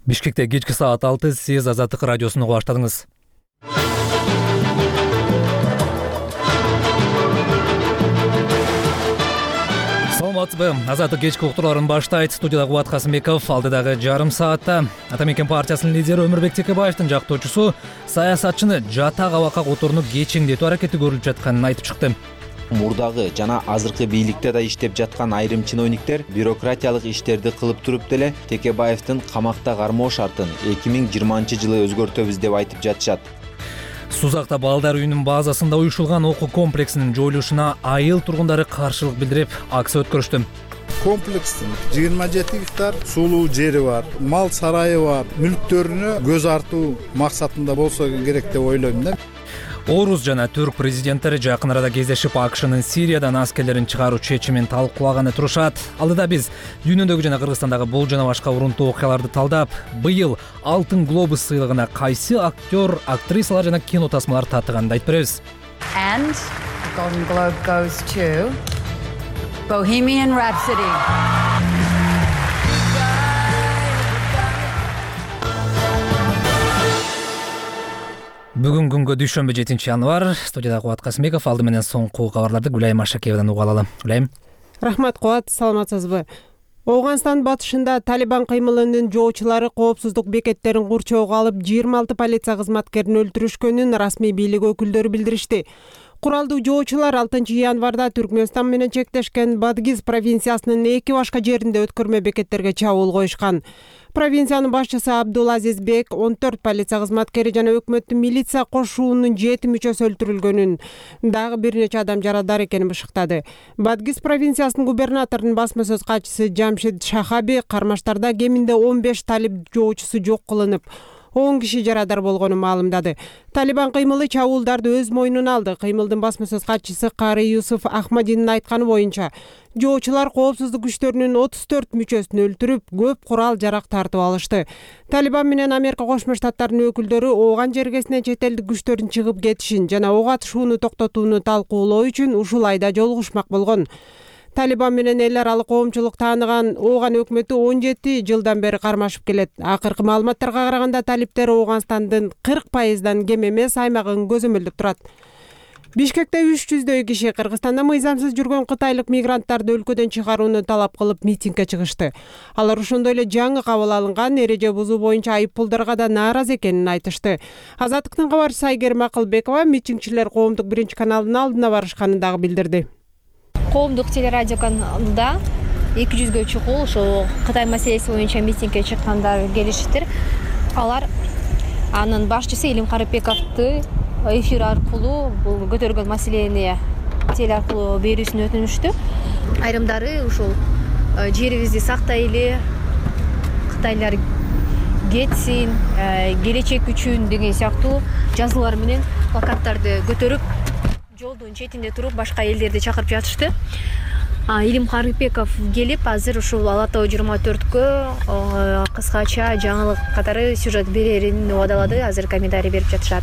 Бишкекте кечки саат 6 сиз Азаттык радиосун угуп баштадыңыз. Саламатсызбы? Азаттык кечки уктурларын баштайт. Студияда Кубат Касымбеков. Алдыдагы жарым саатта Ата Мекен партиясынын лидери Өмүрбек Текебаевдин жактоочусу саясатчыны жатак абакка которууну кечеңдетүү аракети көрүлүп жатканын айтып чыкты. Мурдагы жана азыркы бийликте да иштеп жаткан айрым чиновниктер бюрократиялык иштерди кылып туруп деле Текебаевдин камакта кармоо шартын 2020-жылы өзгөртөбүз деп айтып жатышат. Сузакта балдар үйүнүн базасында уюшулган окуу комплексинин жоюлушуна айыл тургундары каршылык билдирип, акция өткөрүштү. Комплекстин 27 гектар сулуу жери бар, мал сарайы бар, мүлктөрүнө көз артуу максатында болсо керек деп ойлойм да. Орус жана Түрк президенттери жакын арада кездешип, АКШнын Сириядан аскерлерин чыгаруу чечимин талкуулаганы турушат. Алдыда биз дүйнөдөгү жана Кыргызстандагы бул жана башка урунтуу окуяларды талдап, быйыл Алтын глобус сыйлыгына кайсы актер, актрисалар жана кино тасмалар татыганын айтып беребиз. And the Golden Globe goes to Bohemian Rhapsody. Бүгүн күнгө дүйшөмбү 7-январ. Студияда Кубат Касымбеков. Алды менен соңку кабарларды Гүлайым Ашакеевден угуп алалы. Гүлайым. Рахмат Кубат, саламатсызбы? Оогандын батышында Талибан кыймылынын жоочулары коопсуздук бекеттерин курчоого алып 26 полиция кызматкерин өлтүрүшкөнүн расмий бийлик өкүлдөрү билдиришти. Куралдуу жоочулар 6-январда Түркмөнстан менен чектешкен Бадгиз провинциясынын 2 башка жеринде өткөрмө бекеттерге чабуул коюшкан. Провинциянын башчысы Абдулазиз Бек 14 полиция кызматкери жана өкмөттүн милиция кошуунун 7 мүчөсү өлтүрүлгөнүн, дагы бир нече адам жарадар экенин бышыктады. Бадгиз провинциясынын губернаторунун басма сөз катчысы Жамшид Шахаби кармаштарда кеминде 15 талиб жоочусу жок кылынып, 10 киши жарадар болгонун маалымдады. Талибан кыймылы чабуулдарды өз мойнуна алды. Кыймылдын басма сөз катчысы Кари Юсуф Ахмадинин айтканы боюнча, жоочулар коопсуздук күчтөрүнүн 34 мүчөсүн өлтүрүп, көп курал жарак тартып алышты. Талибан менен Америка Кошмо Штаттарынын өкүлдөрү ооган жергесине чет элдик күчтөрдүн чыгып кетишин жана ок атышууну токтотууну талкуулоо үчүн ушул айда жолугушмак болгон. Талибан менен эл аралык коомчулук тааныган Ооган өкмөтү 17 жылдан бери кармашып келет. Акыркы маалыматтарга караганда талиптер Оогандын 40%дан кем эмес аймагын көзөмөлдөп турат. Бишкекте 300дөй киши Кыргызстанда мыйзамсыз жүргөн кытайлык мигранттарды өлкөдөн чыгарууну талап кылып митингге чыгышты. Алар ошондой эле жаңы кабыл алынган эреже бузуу боюнча айыппулдарга да нааразы экенин айтышты. Азаттыктын кабарчысы Айгерим Акылбекова митингчилер коомдук биринчи каналдын алдына барышканын дагы билдирди. Коомдук телерадио каналында 200гө чукул ошо Кытай маселеси боюнча митингге чыккандар келишиптир. Алар анын башчысы Илим Карыпбековду эфир аркылуу бул көтөргөн маселени теле аркылуу берүүсүн өтүнүштү. Айрымдары ушул жерибизди сактайлы, Кытайлар кетсин, келечек үчүн деген сыяктуу жазуулар менен плакаттарды көтөрүп, жолдун четинде туруп башка элдерди чакырып жатышты. Илим Карыпбеков келип, азыр ушул Ала Тоо 24кө кыскача жаңылык катары сюжет берерин убадалады. Азыр комментарий берип жатышат.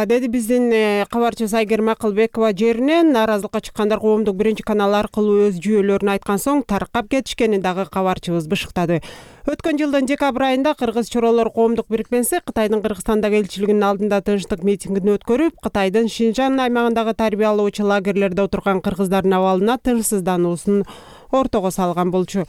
Деди биздин кабарчыбыз Айгерим Акылбекова. Жеринен нааразылыкка чыккандар коомдук биринчи канал аркылуу өз жүйөлөрүн айткан соң таркап кетишкенин дагы кабарчыбыз бышыктады. Өткөн жылдын декабрь айында Кыргыз Чоролор коомдук бирикмеси Кытайдын Кыргызстандагы элчилигинин алдында тынчтык митингин өткөрүп, Кытайдын Шинжан аймагындагы тарбия алуучу лагерлерде отурган кыргыздардын абалына тынчсыздануусун ортого салган болчу.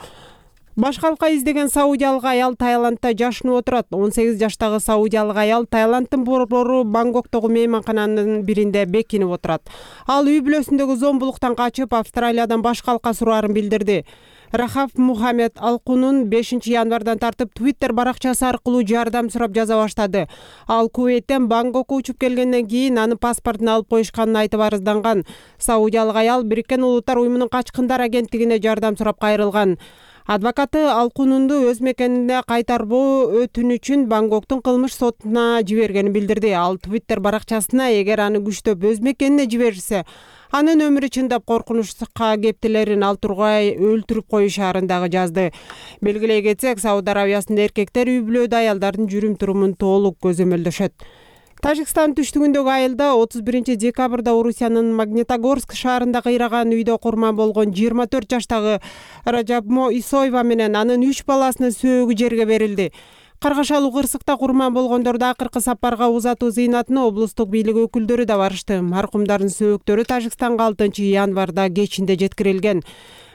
Башкалка издеген саудиялык аял Таиландда жашынып отурат. 18 жаштагы саудиялык аял Таиланддын борбору Бангкоктогу мейманкананын биринде бекинип отурат. Ал үй бүлөсүндөгү зомбулуктан качып, Австралиядан башкалка сураарын билдирди. Рахаф Мухаммед Алкунун 5-январдан тартып Twitter баракчасы аркылуу жардам сурап жаза баштады. Ал Кувейттен Бангкокко учуп келгенден кийин анын паспортун алып коюшканын айтып арызданган. Саудиялык аял Бириккен Улуттар уюмунун качкындар агенттигине жардам сурап кайрылган. Адвокаты Алкунунду өз мекенине кайтарбоо өтүнүчүн Бангкоктун кылмыш сотуна жибергенин билдирди. Ал Twitter баракчасына эгер аны күчтөп өз мекенине жиберсе, анын өмүрү чындап коркунучка кептелерин ал тургай өлтүрүп коюшаарын дагы жазды. Белгилей кетсек, Сауд Арабиясында эркектер үй бүлөдө аялдардын жүрүм турумун толук көзөмөлдөшөт. Тажикстан түштүгүндөгү айылда 31 декабрда Орусиянын Магнитогорск шаарында кыйраган үйдө курман болгон 24 жаштагы Ражабмо Исоева менен анын 3 баласынын сөөгү жерге берилди. Каргашалуу кырсыкта курман болгондорду акыркы сапарга узатуу зыйнатына облустук бийлик өкүлдөрү да барышты. Маркумдардын сөөгүттөрү Тажикстанга 6-январда кечинде жеткирилген.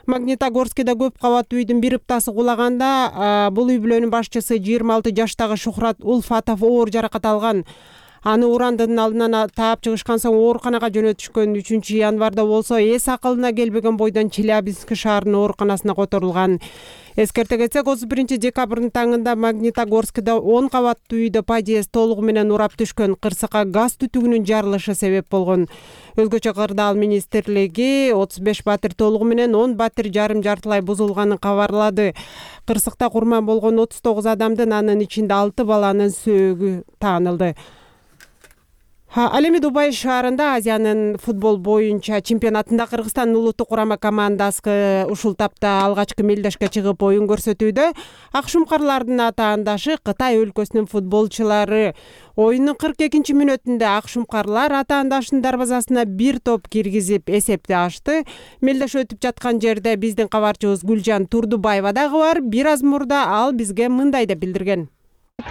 Магнитогорскиде көп кабаттуу үйдүн бир ыптасы кулаганда бул үй бүлөнүн башчысы 26 жаштагы Шухрат Улфатов оор жаракат алган. Аны урандын алдынан таап чыгышкан соң ооруканага жөнөтүшкөн. 3-январда болсо эс акылына келбеген бойдон Челябинск шаарынын ооруканасына которулган. Эскерте кетсек, 31 декабрдын таңында Магнитогорскиде 10 кабаттуу үйдө подъезд толугу менен урап түшкөн. Кырсыкка газ түтүгүнүн жарылышы себеп болгон. Өзгөчө Кырдаал министрлиги 35 батир толугу менен 10 батир жарым жартылай бузулганын кабарлады. Кырсыкта курман болгон 39 адамдын, анын ичинде 6 баланын сөөгү таанылды. Ал эми Дубай шаарында Азиянын футбол боюнча чемпионатында Кыргызстандын улуттук курама командасы ушул тапта алгачкы мелдешке чыгып оюн көрсөтүүдө. Ак шумкарлардын атаандашы Кытай өлкөсүнүн футболчулары. Оюндун 42 мүнөтүндө ак шумкарлар атаандашынын дарбазасына бир топ киргизип эсепти ачты. Мелдеш өтүп жаткан жерде биздин кабарчыбыз Гүлжан Турдубаева дагы бар. Бир аз мурда ал бизге мындай деп билдирген.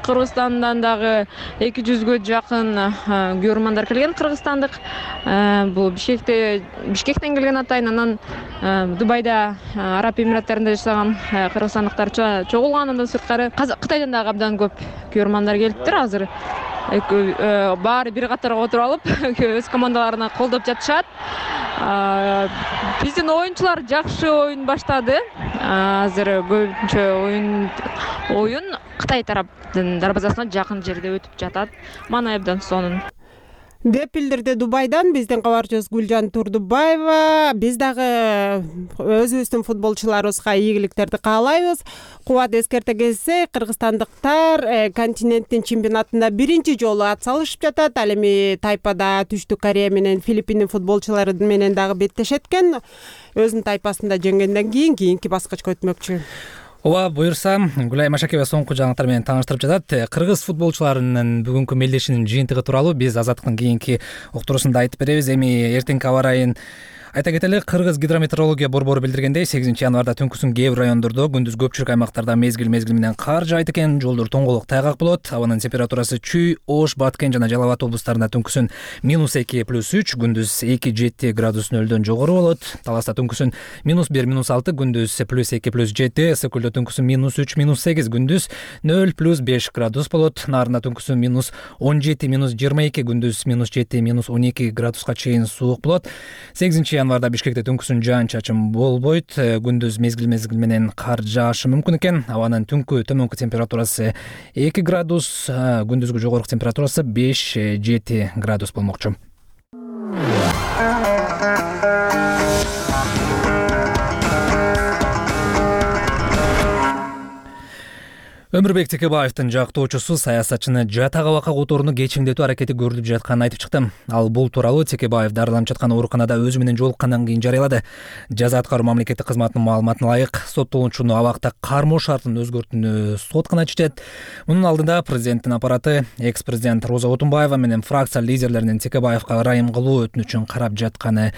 Кыргызстандан дагы 200гө жакын көрөрмандар келген кыргызстандык. Бул Бишкектен келген атайын, анан Дубайда, Араб Эмираттарында жашаган кыргызстандыктар чогулган. Андан сырткары Кытайдан дагы абдан көп көрөрмандар келиптир. Азыр баары бир катарга отуруп алып, өз командаларына колдоп жатышат. Биздин оюнчулар жакшы оюн баштады. Азыр көбүнчө оюн Кытай тараптын дарбазасына жакын жерде өтүп жатат. Мана абдан сонун деп билдирди Дубайдан биздин кабарчыбыз Гүлжан Турдубаева. Биз дагы өзүбүздүн футболчуларыбызга ийгиликтерди каалайбыз. Кубат эскерте кетсек, кыргызстандыктар континенттин чемпионатында биринчи жолу ат салышып жатат. Ал эми тайпада Түштүк Корея менен Филиппиндин футболчулары менен дагы беттешет экен. Өзүнүн тайпасында жеңгенден кийинки баскычка өтмөкчү. Ооба, буюрса, Гүлай Машакева соңку жаңылыктар менен тааныштырып жатат. Кыргыз футболчуларынын бүгүнкү мелдешинин жыйынтыгы тууралуу биз Азаттыктын кийинки уктуруусунда айтып беребиз. Эми эртеңки аба ырайын айта кетели. Кыргыз гидрометеорология борбору билдиргендей, 8 январда түнкүсүн кээ бир райондордо, күндүз көпчүлүк аймактарда мезгил менен кар жаайт экен. Жолдор тоңголук тайгак болот. Абанын температурасы Чүй, Ош, Баткен жана Жалал Абад облустарында түнкүсүн -2 + 3, күндүз 2-7 градус нөлдөн жогору болот. Таласта түнкүсүн -1 -6, күндүз +2 +7, ысык көлдө түнкүсүн -3 -8, күндүз 0 +5 градус болот. Нарында түнкүсүн -17 -22, күндүз -7 -12 градуска чейин суук болот. 8 январда Бишкекте түнкүсүн жаан-чачын болбойт. Күндүз мезгил менен кар жаашы мүмкүн экен. Абанын түнкү төмөнкү температурасы 2 градус, күндүзгү жогорку температурасы 5-7 градус болмокчу. Өмүрбек Текебаевдин жактоочусу саясатчыны жатак абакка которууну кечиңдетүү аракети көрүлүп жатканын айтып чыкты. Ал бул тууралуу Текебаев дарыланып жаткан ооруканада өзү менен жолуккандан кийин жарыялады. Жаза аткаруу мамлекеттик кызматынын маалыматына ылайык, соттолуучуну абакта кармоо шартын өзгөртүүнү сот гана чечет. Мунун алдында президенттин аппараты экс-президент Роза Отунбаева менен фракция лидерлеринин Текебаевга ырайым кылуу өтүнүчүн карап жатканын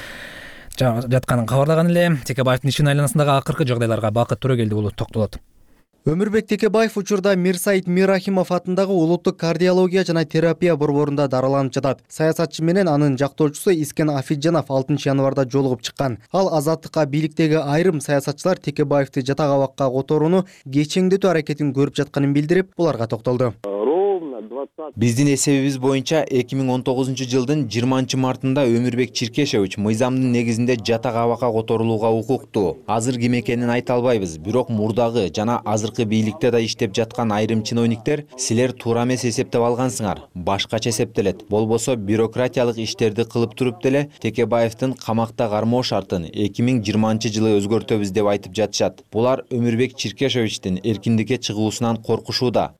кабарлаган эле. Текебаевдин ишин айланасындагы акыркы жагдайларга Бакыт Төрөгелди уулу токтолот. Өмүрбек Текебаев учурда Мирсаид Мирахимов атындагы улуттук кардиология жана терапия борборунда дарыланып жатат. Саясатчы менен анын жактоочусу Искен Афиджанов 6 январда жолугуп чыккан. Ал Азаттыкка бийликтеги айрым саясатчылар Текебаевди жатак абакка которууну кечиңдетүү аракетин көрүп жатканын билдирип, буларга токтолду. Биздин эсебибиз боюнча 2019 жылдын 20 мартында Өмүрбек Чиркешевич мыйзамдын негизинде жатак абакка которулууга укуктуу. Азыр ким экенин айта албайбыз, бирок мурдагы жана азыркы бийликте да иштеп жаткан айрым чиновниктер силер туура эмес эсептеп алгансыңар, башкача эсептелет. Болбосо бюрократиялык иштерди кылып туруп деле Текебаевдин камакта кармоо шартын 2020 жылы өзгөртөбүз деп айтып жатышат. Булар Өмүрбек Чиркешевичтин эркиндикке чыгуусунан коркушууда.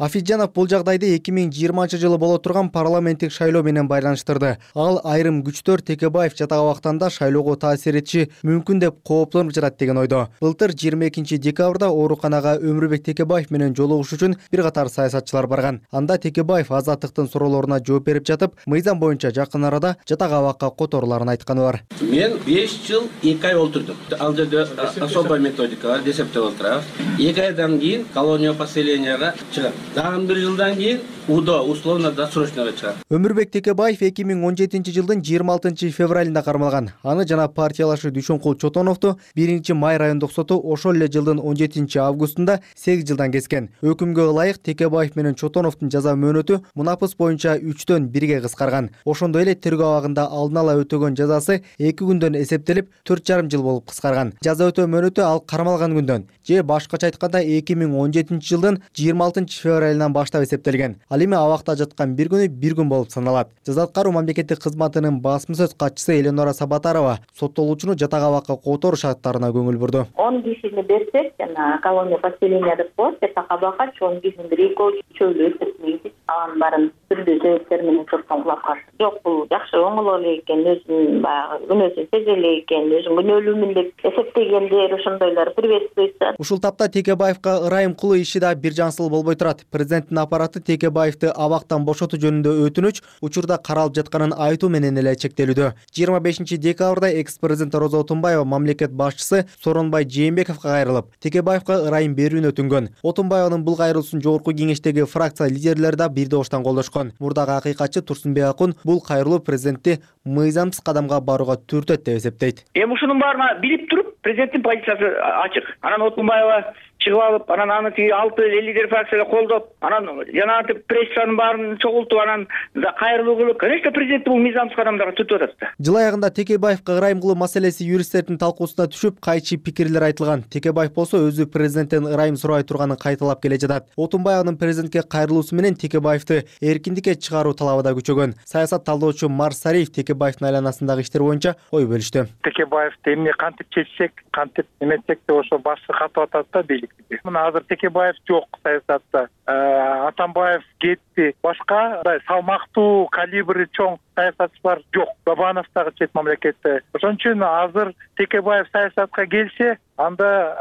Афиджанов бул жагдайды 2020-жылы боло турган парламенттик шайлоо менен байланыштырды. Ал айрым күчтөр Текебаев жатак абактанда шайлоого таасир этиши мүмкүн деп кооптонуп жатат деген ойдо. Былтыр 22 декабрда ооруканага Өмүрбек Текебаев менен жолугуш үчүн бир катар саясатчылар барган. Анда Текебаев азаттыктын суроолоруна жооп берип жатып, мыйзам боюнча жакын арада жатак абакка которуларын айтканы бар. Мен 5 жыл 2 ай олтурдум. Ал жерде особая методика бар, десептеп олтурабыз. 2 айдан кийин колония поселенияга чыгат. Дагы 1 жылдан кийин УДО, условно досрочного чыгат. Өмүрбек Текебаев 2017 жылдын 26 февралында кармалган. Аны жана партиялашы Дүйшөнкул Чотоновду 1-май райондук соту ошол эле жылдын 17 августунда 8 жылдан кескен. Өкүмгө ылайык Текебаев менен Чотоновдун жаза мөөнөтү мунапыс боюнча 3-төн 1-ге кыскарган. Ошондой эле тергөө абагында алдын ала өтөгөн жазасы 2 күндөн эсептелип 4,5 жыл болуп кыскарган. Жаза өтөө мөөнөтү ал кармалган күндөн же башкача айтканда 2017 жылдын 26 февралынан баштап эсептелген. Ал эми абакта жаткан бир күнү бир күн болуп саналат. Жаза аткаруу мамлекеттик кызматынын басма сөз катчысы Эленора Сабатарова соттолуучуну жатак абакка которуу шарттарына көңүл бурду. 10 кишини берсек, жана колония поселения деп коет, жатак абакка 10 кишини бир экөө чөйлүү эсептейбиз. Алардын баарын түрдүү себептер менен соттон кулап каршы. Жок, бул жакшы оңоло эле экен, өзүнүн баягы күнөөсүн сезе эле экен, өзүн күнөөлүүмүн деп эсептегендер ошондойлор приветствуется. Ушул тапта Текебаевка ырайым кылуу иши да бир жансыл болбой турат. Президенттин аппараты Текебаевди абактан бошотуу жөнүндө өтүнүч учурда каралып жатканын айтуу менен эле чектелүүдө. 25 декабрда экс-президент Роза Отунбаева мамлекет башчысы Сооронбай Жээнбековго кайрылып, Текебаевка ырайым берүүнү өтүнгөн. Отунбаеванын бул кайрылуусун жогорку кеңештеги фракция лидерлери да бир доштон колдошкон. Мурдагы акыйкатчы Турсунбек Акун бул кайрылуу президентти мыйзамсыз кадамга барууга түртөт деп эсептейт. Ушунун баарына билип туруп президенттин позициясы ачык. Анан Отунбаева чыгып алып, анан аны 6 лидер фракцияда колдоп, анан жанагы прессанын баарын чогултуп, анан кайрылуу кылып, конечно, президент бул мыйзамсыз кадамдарга түртүп атат. Жыл аягында Текебаевка ырайым кылуу маселеси юристтердин талкуусуна түшүп, кайчы пикирлер айтылган. Текебаев болсо өзү президенттен ырайым сурабай турганын кайталап келе жатат. Отунбаеванын президентке кайрылуусу менен Текебаевди эркиндикке чыгаруу талабы да күчөгөн. Саясат талдоочу Марс Сариев Текебаевдин айланасындагы иштер боюнча ой бөлүштү. Текебаевди эмне кантип чечсек, кантип эметсек деп ошо башчы катып атат да бийлик. Мына азыр Текебаев жок саясатта. Атамбаев кетти. Башка салмактуу, калибри чоң саясатчылар жок. Бабанов дагы чет мамлекетте. Ошон үчүн азыр Текебаев саясатка келсе, анда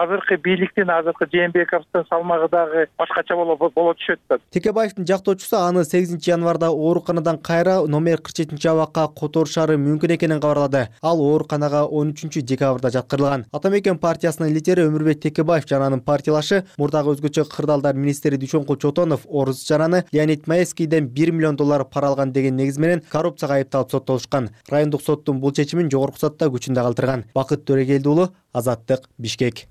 азыркы бийликтин, азыркы Жээнбековдун салмагы дагы башкача боло түшөт да. Текебаевдин жактоочусу аны 8 январда ооруканадан кайра номер 47 абакка которушары мүмкүн экенин кабарлады. Ал ооруканага 13 декабрда жаткырылган. Атамекен партиясынын лидери Өмүрбек Текебаев жана анын партиялашы мурдагы өзгөчө кырдаалдар министри Дүйшөнкул Чотонов Орус жараны Леонид Маевскийден $1 миллион пара алган деген негиз менен коррупцияга айыпталып соттолушкан. Райондук соттун бул чечимин жогорку сотто күчүндө калтырган. Бакыт Төрегелди уулу, Азаттык, Бишкек.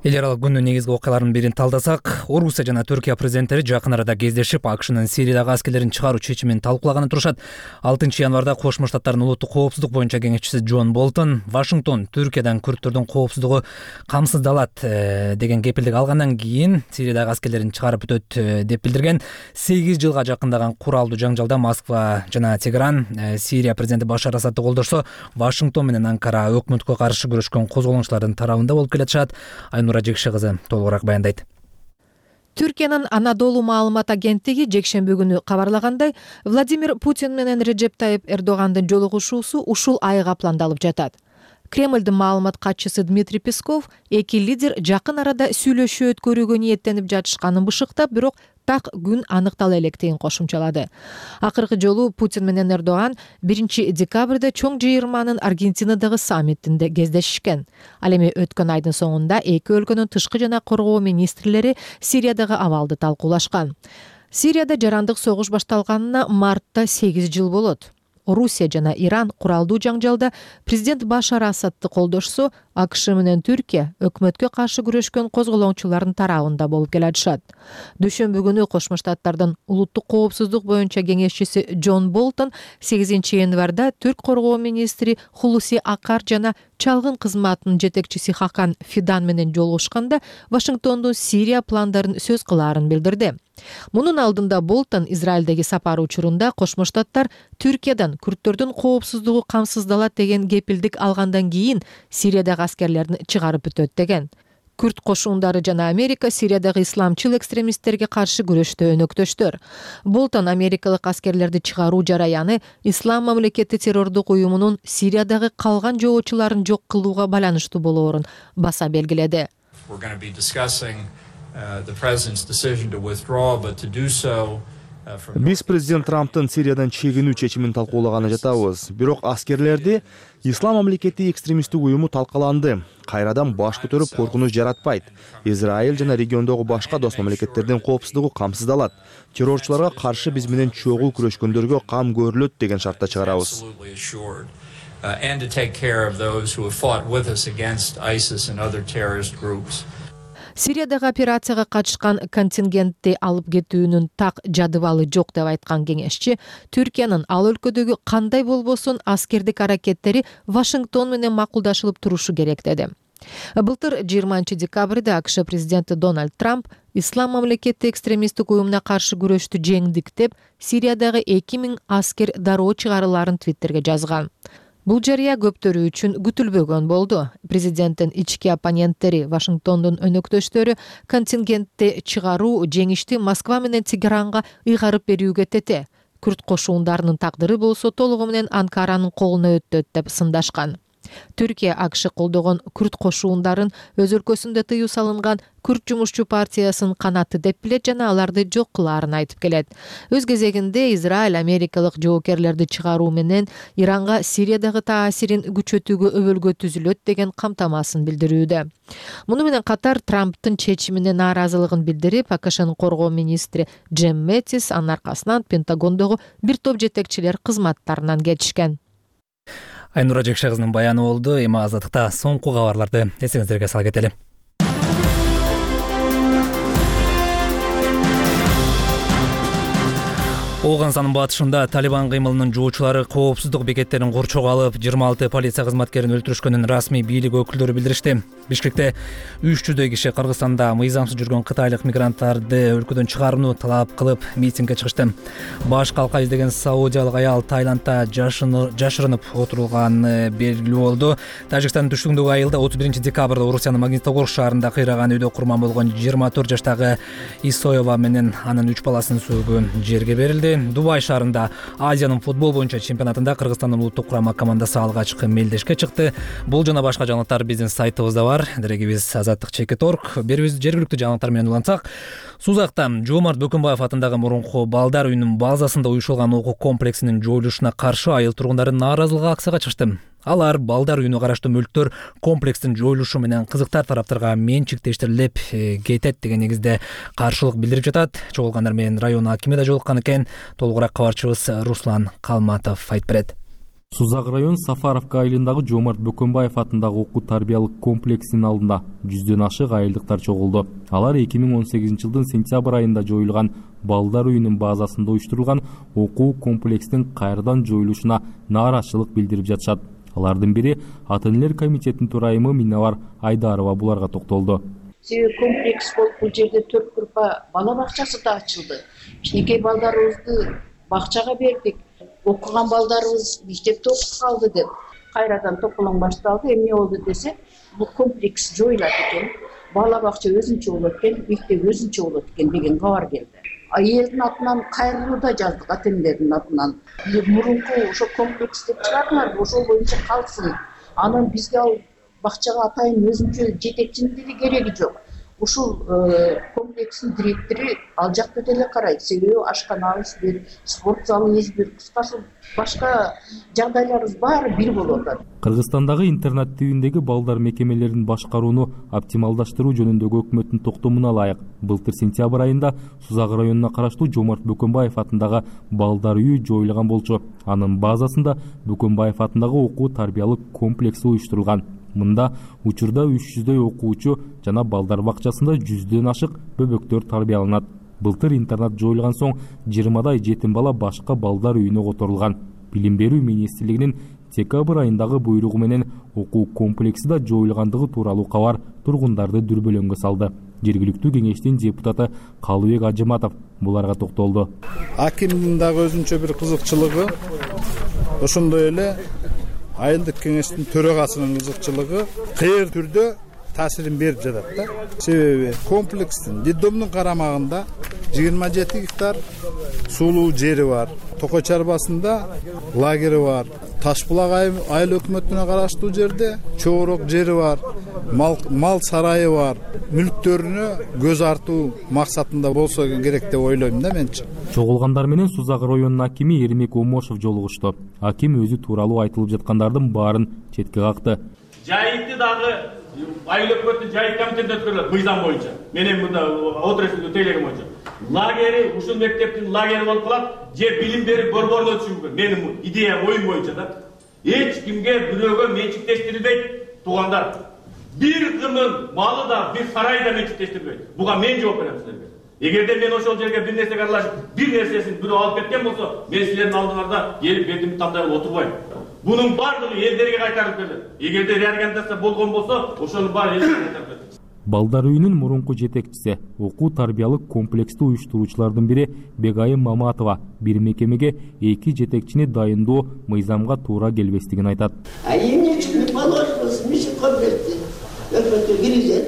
Эл аралык күндүн негизги окуяларынын бирин талдасак, Орусия жана Түркия президенттери жакын арада кездешип, АКШнын Сириядагы аскерлерин чыгаруу чечимин талкуулаганы турушат. 6 январда Кошмо Штаттардын улуттук коопсуздук боюнча кеңешчиси Джон Болтон Вашингтон Түркиядан күрттөрдүн коопсуздугу камсыздалат деген кепилдик алгандан кийин Сириядагы аскерлерин чыгарып өтөт деп билдирген. 8 жылга жакындаган куралдуу жаңжалда Москва жана Тегеран Сирия президенти Башар Асадты колдошсо, Вашингтон менен Анкара өкмөткө каршы күрөшкөн козголоңчулардын тарабында болуп келатышат. Жекше кызы толугураак баяндайт. Түркиянын Анадолу маалымат агенттиги жекшемби күнү кабарлагандай, Владимир Путин менен Реджеп Тайип Эрдогандын жолугушуусу ушул айга пландалып жатат. Кремлдин маалымат катчысы Дмитрий Песков эки лидер жакын арада сүйлөшүү өткөрүүгө ниеттенип жатышканын бышыктап, бирок так күн аныктала электигин кошумчалады. Акыркы жолу Путин менен Эрдоган 1 декабрда чоң жыйырманын Аргентинадагы саммитинде кездешишкен. Ал эми өткөн айдын соңунда эки өлкөнүн тышкы жана коргоо министрлери Сириядагы абалды талкуулашкан. Сирияда жарандык согуш башталганына мартта 8 жыл болот. Орусия жана Иран куралдуу жаңжалда президент Башар Асадты колдошсо, АКШ менен Түркия өкмөткө каршы күрөшкөн козголоңчулардын тарабында болуп келатышат. Дүйшөмбү күнү Кошмо Штаттардын улуттук коопсуздук боюнча кеңешчиси Джон Болтон 8 январда Түрк коргоо министри Хулуси Акар жана чалгын кызматынын жетекчиси Хакан Фидан менен жолугушканда Вашингтондун Сирия пландарын сөз кылаарын билдирди. Мунун алдында Болтон Израилдеги сапары учурунда Кошмо Штаттар Түркиядан күрттөрдүн коопсуздугу камсыздалат деген кепилдик алгандан кийин Сириядагы аскерлерин чыгарып өтөт деген. Күрт кошуундары жана Америка Сириядагы исламчыл экстремисттерге каршы күрөштө өнөктөштөр. Болтон америкалык аскерлерди чыгаруу жараяны Ислам мамлекети террордук уюмунун Сириядагы калган жоочуларын жок кылууга байланыштуу болоорун баса белгиледи. Биз президент Трамптын Сириядан чегинүү чечимин талкуулаганы жатабыз. Бирок аскерлерди Ислам мамлекети экстремисттик уюму талкаланды. Кайрадан баш көтөрүп коркунуч жаратпайт. Израиль жана региондогу башка дос мамлекеттердин коопсуздугу камсыздалат. Террорчуларга каршы биз менен чогуу күрөшкөндөргө кам көрүлөт деген шартта чыгарабыз. Сириядагы операцияга катышкан контингентти алып кетүүнүн так жадыбалы жок деп айткан кеңешчи, Түркиянын ал өлкөдөгү кандай болбосун аскердик аракеттери Вашингтон менен макулдашылып турушу керек деди. Былтыр 20-декабрда АКШ президенти Дональд Трамп Ислам мамлекети экстремисттик уюмуна каршы күрөштү жеңдик деп Сириядагы 2000 аскер дароо чыгарыларын Твиттерге жазган. Бул жарыя көптөрү үчүн күтүлбөгөн болду. Президенттин ички оппоненттери Вашингтондун өнөктөштөрү контингентти чыгаруу жеңишти Москва менен Тегеранга ыйгарып берүүгө тете. Күрт кошуундарынын тагдыры болсо толугу менен Анкаранын колуна өтөт деп сындашкан. Түркия АКШ колдогон күрт кошуундарын өз өлкөсүндө тыюу салынган Күрт жумушчу партиясынын канаты деп билет жана аларды жок кылаарын айтып келет. Өз кезегинде Израиль америкалык жоокерлерди чыгаруу менен Иранга Сириядагы таасирин күчөтүүгө өбөлгө түзүлөт деген камтамасын билдирүүдө. Муну менен катар Трамптын чечимине нааразылыгын билдирип, АКШнын коргоо министри Джим Мэттис анын аркасынан Пентагондогу бир топ жетекчилер кызматтарынан кетишкен. Айнура Жекше кызынын баяны болду. Эми азаттыкта соңку кабарларды эсиңиздерге сала кетели. Оганстандын батышында Талибан кыймылынын жоочулары коопсуздук бекеттерин курчоого алып, 26 полиция кызматкерин өлтүрүшкөнүн расмий бийлик өкүлдөрү билдиришти. Бишкекте 300 киши Кыргызстанда мыйзамсыз жүргөн кытайлык мигранттарды өлкөдөн чыгарууну талап кылып митингге чыгышты. Баш калка издеген саудиялык аял Таиландда жашырынып отурулганы белгилүү болду. Тажикстандын түштүгүндөгү айылда 31 декабрда Орусиянын Магнитогорск шаарында кыйраган үйдө курман болгон 24 жаштагы Исоева менен анын 3 баласын сүйгөн жерге берилди. Дубай шаарында Азиянын футбол боюнча чемпионатында Кыргызстандын улуттук курама командасы алгачкы мелдешке чыкты. Бул жана башка жаңылыктар биздин сайтыбызда бар. Дерегибиз azаттык.org. Бербиз жергиликтүү жаңылыктар менен улантсак, Сузакта Жоомарт Бөкөнбаев атындагы мурунку балдар үйүнүн базасында уюшулган окуу комплексинин жоюлушуна каршы айыл тургундары нааразылык акцияга чыкты. Алар балдар үйүнө караштуу мүлктөр комплекстин жоюлушу менен кызыктар тараптарга менчиктештирилип кетет деген негизде каршылык билдирип жатат. Чогулгандар менен район акими да жолуккан экен. Толугураак кабарчыбыз Руслан Калматов айтып берет. Сузак район Сафаровка айылындагы Жоомарт Бөкөнбаев атындагы окуу тарбиялык комплексинин алдында 100дөн ашык айылдыктар чогулду. Алар 2018 жылдын сентябрь айында жоюлган балдар үйүнүн базасында уюштурулган окуу комплекстин кайрадан жоюлушуна нааразычылык билдирип жатышат. Алардын бири ата-энелер комитетинин төрайымы Миннабар Айдарова буларга токтолду. Комплекс болуп бул жерде 4 группа бала бакчасы да ачылды. Кичинекей балдарыбызды бакчага бердик. Окуган балдарыбыз мектепте окуп калды деп кайрадан токолоң башталды. Эмне болду десе, бул комплекс жоюлат экен. Бала бакча өзүнчө болот экен, мектеп өзүнчө болот экен деген кабар келди. Элдин атынан кайрылуу да жаздык, ата-энелердин атынан. Мурунку ошо комплекс деп чыгардылар, ошол боюнча калсын. Анан бизге ал бакчага атайын өзүнчө жетекчинин деле кереги жок. Ушул комплекстин директору ал жакта деле карайт. Себеби ашканабыз бир, спорт залыбыз бир, кыскасы башка жагдайларыбыз баары бир болуп атат. Кыргызстандагы интернат тибиндеги балдар мекемелерин башкарууну оптималдаштыруу жөнүндөгү өкмөттүн токтомуна ылайык былтыр сентябрь айында Сузак районуна караштуу Жоомарт Бөкөнбаев атындагы балдар үйү жоюлган болчу. Анын базасында Бөкөнбаев атындагы окуу тарбиялык комплекси уюштурулган. Мында учурда 300дөй окуучу жана балдар бакчасында 100дөн ашык бөбөктөр тарбияланат. Былтыр интернат жоюлган соң 20дай жетим бала башка балдар үйүнө которулган. Билим берүү министрлигинин декабрь айындагы буйругу менен окуу комплекси да жоюлгандыгы тууралуу кабар тургундарды дүрбөлөңгө салды. Жергиликтүү кеңештин депутаты Калыбек Ажыматов буларга токтолду. Акимдин дагы өзүнчө бир кызыкчылыгы, ошондой эле айылдык кеңештин төрагасынын кызыкчылыгы кээ түрдө таасирин берип жатат да. Себеби комплекстин детдомдун карамагында 27 гектар сулуу жери бар. Токой чарбасында лагери бар. Ташбулак айыл өкмөтүнө караштуу жерде чоорок жери бар. Мал сарайы бар. Мүлктөрүнө көз артуу максатында болсо керек деп ойлойм да менчи. Чогулгандар менен Сузак районунун акими Эрмек Омошов жолугушту. Аким өзү тууралуу айтылып жаткандардын баарын четке какты. Жайытты дагы айыл өкмөттүн жайыт комитетине өткөрүлөт мыйзам боюнча. Менен мында отурушун тейлеген боюнча. Лагери, ушул мектептин лагери болуп калат, же билим берип борборуна түшүрүш мүмкүн. Менин идея, оюм боюнча да. Эч кимге бирөөгө менчиктештирилбейт, туугандар. Бир кымын малы да, бир сарай да менчиктештирилбейт. Буга мен жооп берем силерге. Эгерде мен ошол жерге бир нерсеге аралашып, бир нерсесин бирөө алып кеткен болсо, мен силердин алдыңарда келип бетимди тандап отурбайм. Bunun бардыгы элдерге кайтарып берилет. Эгерде реорганизация болгон болсо, ошонун баары элдерге кайтарып берилет. Балдар үйүнүн мурунку жетекчиси, окуу тарбиялык комплексти уюштуруучулардын бири Бегайым Маматова бир мекемеге 2 жетекчини дайындоо мыйзамга туура келбестигин айтат. Эмне үчүн положенность миши комплекти өкмөткө киргизет?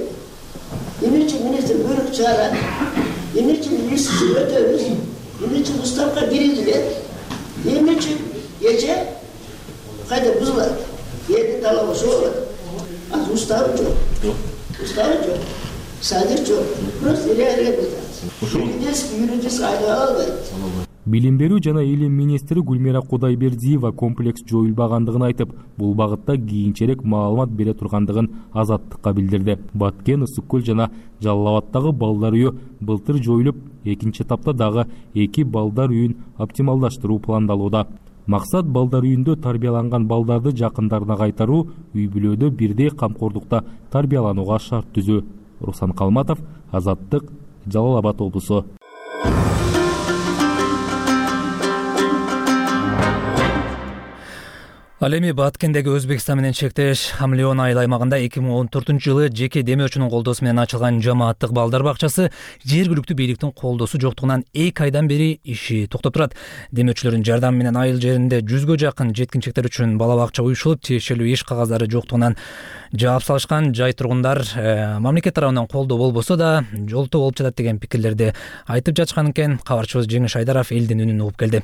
Эмне үчүн министр буйрук чыгарат? Эмне үчүн листти өтөбүз? Эмне үчүн уставка киргизилет? Эмне үчүн эже кайда бузулат? Эди талабы болот. Az уставы жок. Уставы жок. Садыр жок. Просто реализация. Юридически айла албайт. Билим берүү жана илим министри Гүлмира Кудайбердиева комплекс жоюлбагандыгын айтып, бул багытта кийинчерээк маалымат бере тургандыгын Азаттыкка билдирди. Баткен, Ысык көл жана Жалал Абаддагы балдар үйү былтыр жоюлуп, экинчи этапта дагы 2 балдар үйүн оптималдаштыруу пландалууда. Максат балдар үйүндө тарбияланган балдарды жакындарына кайтаруу, үй бүлөдө бирдей камкордукта тарбияланууга шарт түзүү. Руслан Калматов, Азаттык, Жалал Абад облусу. Ал эми Баткендеги Өзбекстан менен чектеш Хамлион айыл аймагында 2014-жылы жеке демөөчүнүн колдоосу менен ачылган жамааттык балдар бакчасы жергиликтүү бийликтин колдоосу жоктугунан 2 айдан бери иши токтоп турат. Демөөчүлөрдүн жардамы менен айыл жеринде 100гө жакын жеткинчектер үчүн бала бакча уюшулуп, тиешелүү иш кагаздары жоктугунан жаап салышкан. Жай тургундар мамлекет тарабынан колдоо болбосо да жолтоо болуп жатат деген пикирлерди айтып жатышкан экен. Кабарчыбыз Жеңиш Айдаров элдин үнүн угуп келди.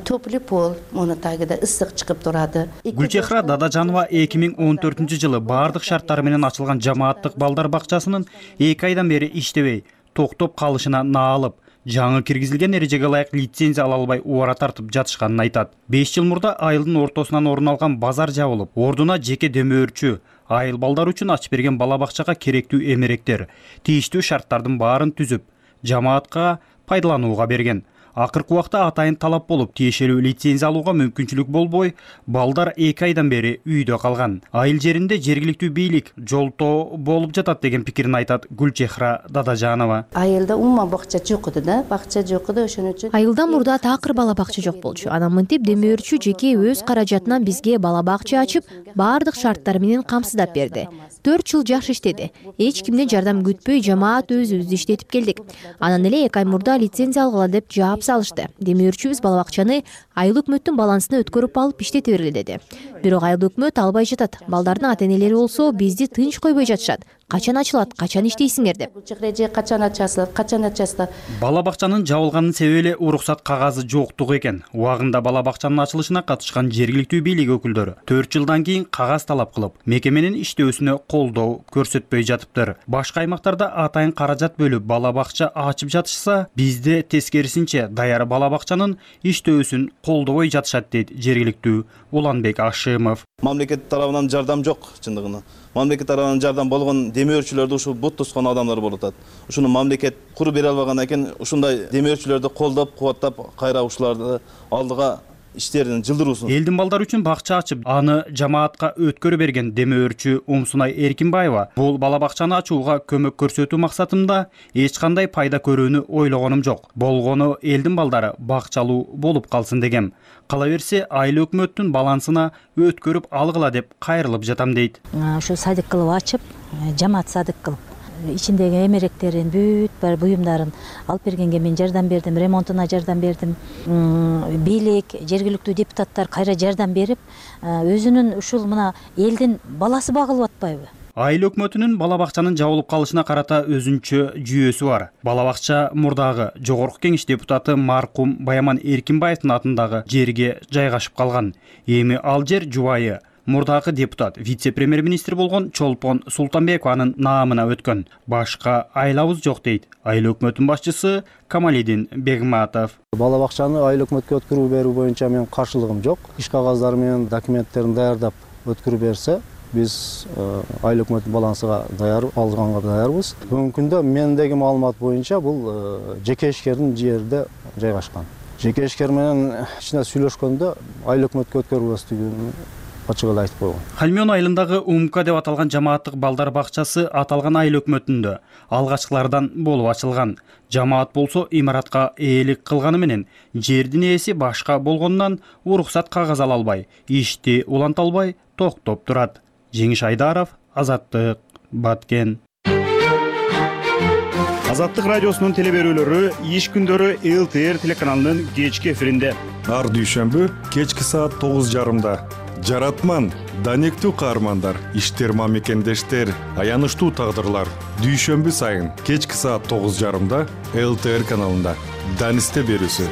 Топлый пол, муну тагыда ысык чыгып турады. Гүлчехра Дадажанова 2014-жылы бардык шарттары менен ачылган жамааттык балдар бакчасынын 2 айдан бери иштебей, токтоп калышына наалып, жаңы киргизилген эрежеге ылайык лицензия ала албай убара тартып жатышканын айтат. 5 жыл мурда айылдын ортосунан орун алган базар жабылып, ордуна жеке демөөрчү, айыл балдар үчүн ачып берген бала бакчага керектүү эмеректер, тийиштүү шарттардын баарын түзүп, жамаатка пайдаланууга берген. Акыркы убакта атайын талап болуп, тиешелүү лицензия алууга мүмкүнчүлүк болбой, балдар 2 айдан бери үйдө калган. Айыл жеринде жергиликтүү бийлик жолтоо болуп жатат деген пикирин айтат Гүлчехра Дадажанова. Айылда умма бакча жок эди да, бакча жок эди, ошон үчүн. Айылда мурда такыр бала бакча жок болчу. Анан мынтип демөөрчү жеке өз каражатынан бизге бала бакча ачып, бардык шарттар менен камсыздап берди. 4 жыл жакшы иштеди. Эч кимден жардам күтпөй, жамаат өзүбүз иштетип келдик. Анан эле 2 ай мурда лицензия алгыла деп жаап салышты. Демөөрчүбүз бала бакчаны айыл өкмөттүн балансына өткөрүп алып иштете бергиле деди. Бирок айыл өкмөт албай жатат. Балдардын ата-энелери болсо бизди тынч койбой жатышат. Качан ачылат, качан иштейсиңер деп. Качан ачасыздар, качан ачасыздар. Бала бакчанын жабылганын себеби эле уруксат кагазы жоктугу экен. Убагында бала бакчанын ачылышына катышкан жергиликтүү бийлик өкүлдөрү 4 жылдан кийин кагаз талап кылып, мекеменин иштөөсүнө колдоо көрсөтпөй жатыптыр. Башка аймактарда атайын каражат бөлүп бала бакча ачып жатышса, бизде тескерисинче даяр бала бакчанын иштөөсүн колдобой жатышат дейт жергиликтүү Уланбек Ашимов. Мамлекет тарабынан жардам жок чындыгында. Мамлекет тарабынан жардам болгон демөөрчүлөрдү ушу бут тускан адамдар болуп атат. Ушуну мамлекет куруп бере албаган экен, ушундай демөөрчүлөрдү колдоп, кубаттап, кайра ушуларды алдыга иштерин жылдыруусун. Элдин балдары үчүн бакча ачып, аны жамаатка өткөрө берген демөөрчү Умсунай Эркинбаева бул бала бакчаны ачууга көмөк көрсөтүү максатында эч кандай пайда көрүүнү ойлогонум жок. Болгону элдин балдары бакчалуу болуп калсын дегем. Кала берсе айыл өкмөттүн балансына өткөрүп алгыла деп кайрылып жатам дейт. Ушу садик кылып ачып, жамаат садик кылып ичиндеги эмеректерин, бүт бар буюмдарын алып бергенге мен жардам бердим, ремонтуна жардам бердим. Бийлик, жергиликтүү депутаттар кайра жардам берип, өзүнүн ушул мына элдин баласы багылып атпайбы? Айыл өкмөтүнүн бала бакчанын жабылып калышына карата өзүнчө жүйөсү бар. Бала бакча мурдагы Жогорку Кеңеш депутаты маркум Баяман Эркинбаевдин атындагы жерге жайгашып калган. Эми ал жер жубайы мурдагы депутат, вице-премьер-министр болгон Чолпон Султанбекованын наамына өткөн. Башка айлабыз жок дейт айыл өкмөтүнүн башчысы Камалидин Бегматов. Бала бакчаны айыл өкмөткө өткөрүү берүү боюнча менин каршылыгым жок. Иш кагаздары менен документтерин даярдап өткөрүп берсе, биз айыл өкмөттүн балансыга даяр алганга даярбыз. Бүгүнкү күндө мендеги маалымат боюнча бул жеке ишкердин жерде жайгашкан. Жеке ишкер менен ичинде сүйлөшкөндө айыл өкмөткө өткөрүлбөстүгүн ачык эле айтып койгон. Хальмион айылындагы Умка деп аталган жамааттык балдар бакчасы аталган айыл өкмөтүндө алгачкылардан болуп ачылган. Жамаат болсо имаратка ээлик кылганы менен жердин ээси башка болгондон уруксат кагаз ала албай, ишти уланта албай токтоп турат. Жеңиш Айдаров, Азаттык, Баткен. Азаттык радиосунун телеберүүлөрү иш күндөрү ЛТР телеканалынын кечки эфиринде. Ар дүйшөмбү кечки саат 9:30. Жаратман, данектүү каармандар, иштерма мекендештер, аянычтуу тагдырлар. Дүйшөмбү сайын кечки саат 9:30 ЛТР каналында. Данисте берүүсү.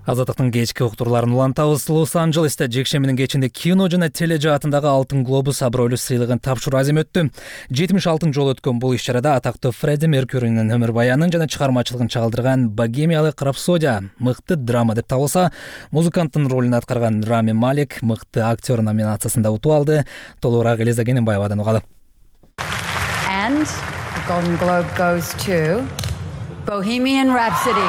Азаттыктын кечки уктурларын улантабыз. Лос-Анджелесте жекшембинин кечинде кино жана тележаатындагы Алтын глобус абройлуу сыйлыгын тапшыруу азем өттү. 76 жолу өткөн бул иш-чарада атактуу Фредди Меркьюринин өмүр баянын жана чыгармачылыгын чагылдырган «Богемиялык рапсодия» мыкты драма деп табылса, музыканттын ролун аткарган Рами Малек мыкты актер номинациясында утуп алды. Толугураак Элиза Кененбаевадан угалы. And the Golden Globe goes to Bohemian Rhapsody.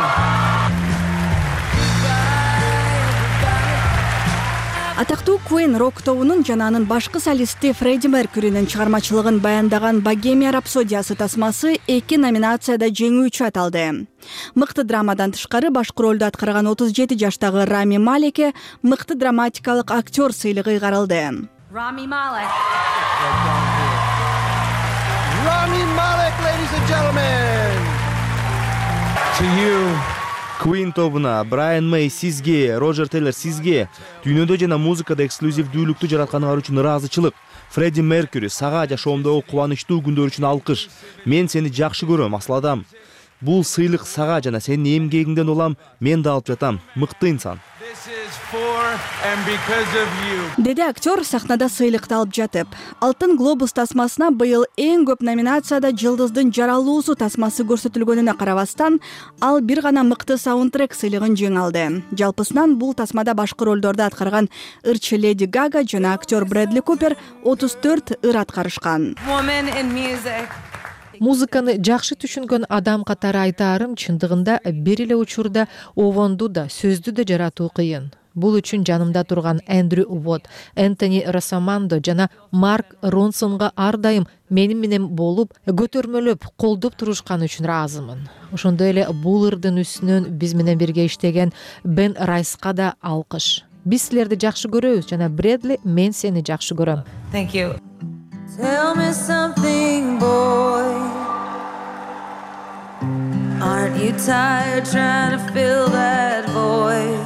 Атактуу Queen рок тобунун жана анын башкы солисти Фредди Меркьюринин чыгармачылыгын баяндаган «Богемия рапсодиясы» тасмасы 2 номинацияда жеңүүчү аталды. Мыкты драмадан тышкары башкы ролду аткарган 37 жаштагы Рами Малекке мыкты драматикалык актер сыйлыгы ыйгарылды. Rami Malek. Rami Malek, ladies and gentlemen. To you. Queen тобуна, Брайан Мэй сизге, Роджер Тейлор сизге дүйнөдө жана музыкада эксклюзивдүүлүктү жаратканыңар үчүн ыраазычылык. Фредди Меркьюри сага жашоомдогу кубанычтуу күндөр үчүн алкыш. Мен сени жакшы көрөм, асладам. Бул сыйлык сага жана сенин эмгегиңден улам, мен да алып жатам. Мыкты инсан. Деди актер сахнада сыйлыкты алып жатып. Алтын глобус тасмасына быйыл эң көп номинацияда Жылдыздын жаралуусу тасмасы көрсөтүлгөнүнө карабастан, ал бир гана мыкты саундтрек сыйлыгын жеңип алды. Жалпысынан бул тасмада башкы ролдорду аткарган ырчы Леди Гага жана актер Брэдли Купер 34 ыр аткарышкан. Музыканы жакшы түшүнгөн адам катары айтаарым, чындыгында бир эле учурда овонду да, сөздү да жаратуу кыйын. Бул үчүн жанымда турган Эндрю Уотт, Энтони Росамандо жана Марк Ронсонго ар дайым менин менен болуп, көтөрмөлөп, колдоп турушканы үчүн ыраазымын. Ошондой эле бул ырдын үстүнөн биз менен бирге иштеген Бен Райска да алкыш. Биз силерди жакшы көрөбүз жана Брэдли, мен сени жакшы көрөм. Thank you. Tell me something, boy. Aren't you tired trying to fill that void?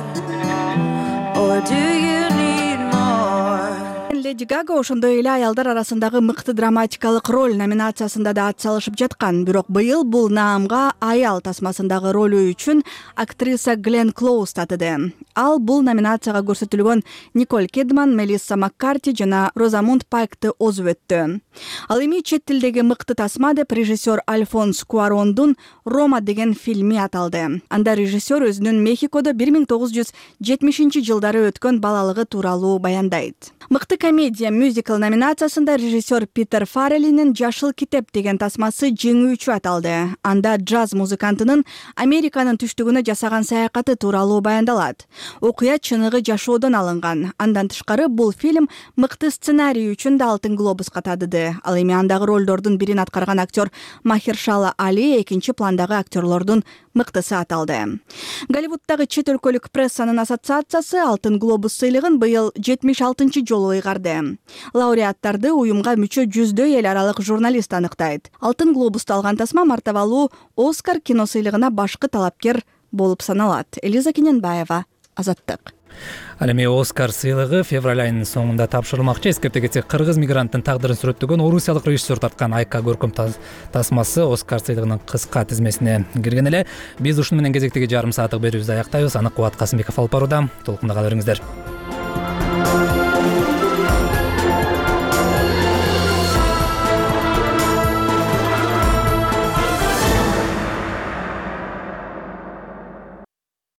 Or do you need more? Леди Гага ошондой эле аялдар арасындагы мыкты драматикалык роль номинациясында да ат салышып жаткан. Бирок быйыл бул наамга аял тасмасындагы ролу үчүн актриса Глен Клоуз татыды. Ал бул номинацияга көрсөтүлгөн Николь Кидман, Мелисса Маккарти жана Розамунд Пайкты озуп өттү. Ал эми чет тилдеги мыкты тасма деп режиссер Альфонс Куарондун «Рома» деген фильми аталды. Анда режиссер өзүнүн Мехикодо 1970 жылдары өткөн балалыгы тууралуу баяндайт. Мыкты комедия мюзикл номинациясында режиссер Питер Фарреллинин «Жашыл китеп» деген тасмасы жеңүүчү аталды. Анда джаз музыкантынын Американын түштүгүнө жасаган саякаты тууралуу баяндалат. Окуя чыныгы жашоодон алынган. Андан тышкары бул фильм мыкты сценарий үчүн да Алтын глобуска татыды. Ал эми андагы ролдордун бирин аткарган актер Махершала Али экинчи пландагы актерлордун мыктысы аталды. Голливуддагы чет өлкөлүк прессанын ассоциациясы Алтын глобус сыйлыгын быйыл 76-чы жолу ыйгарды. Лауреаттарды уюмга мүчө жүздөй эл аралык журналист аныктайт. Алтын глобусту алган тасма мартабалуу Оскар кино сыйлыгына башкы талапкер болуп саналат. Элиза Кененбаева, Азаттык. Ал эми Оскар сыйлыгы февраль айынын соңунда тапшырылмакчы. Эскерте кетсек, кыргыз мигранттын тагдырын сүрөттөгөн орусиялык режиссер тарткан Айка көркөм тасмасы Оскар сыйлыгынын кыска тизмесине кирген эле. Биз ушуну менен кезектеги жарым сааттык берүүбүздү аяктайбыз. Аны Кубат Касымбеков алып барууда. Толкунда кала бериңиздер.